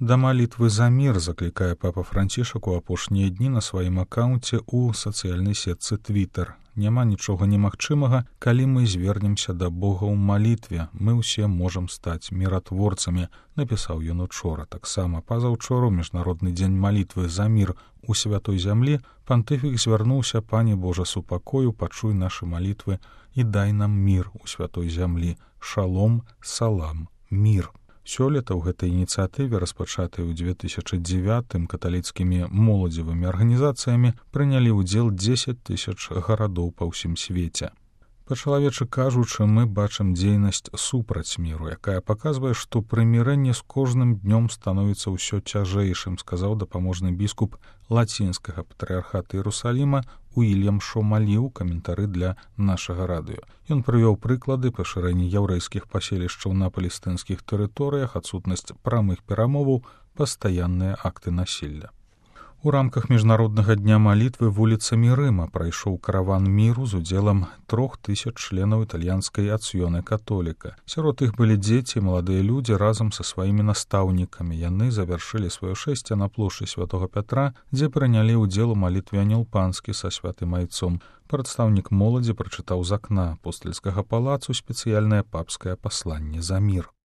Да малітвы за мір заклікае папа Францішак у апошнія дні на сваім акаунце ў сацыяльнай сетцы Twitter. Няма нічога немагчымага, калі мы звернемся да Бога ў малітве. Мы ўсе можам стаць міратворцамі, напісаў ён учора. Таксама пазаўчора ў міжнародны дзень малітвы за мір у святой зямлі пантыфік звярнуўся: Пане Божа супакою, пачуй нашы малітвы і дай нам мір у святой зямлі. Шалом, салам, мір. Сёлета ў гэтай ініцыятыве, распачатай у 2009 каталіцкімі моладзевымі арганізацыямі, прынялі ўдзел 10 000 гарадоў па ўсім свеце. Па-чалавечы кажучы, мы бачым дзейнасць супраць міру, якая паказвае, што прымірэнне з кожным днём становіцца ўсё цяжэйшым, сказаў дапаможны біскуп лацінскага патрыархата Іерусаліма Уільям Шомалі ў каментары для нашага радыё. Ён прывёў прыклады пашырэння яўрэйскіх паселішчаў на палестынскіх тэрыторыях, адсутнасць прамых перамоваў, пастаянныя акты насілля. У рамках міжнароднага дня малітвы вуліцамі Рыма прайшоў караван міру з удзелам 3000 членаў італьянскай Ацыёны католіка. Сярод іх былі дзеці і маладыя людзі разам са сваімі настаўнікамі. Яны завяршылі сваё шэсце на плошчы Святога Пятра, дзе прынялі ўдзел у малітве Анёл Панскі са святым айцом. Прадстаўнік моладзі прачытаў з акна апостальскага палацу спецыяльнае папскае пасланне за мір.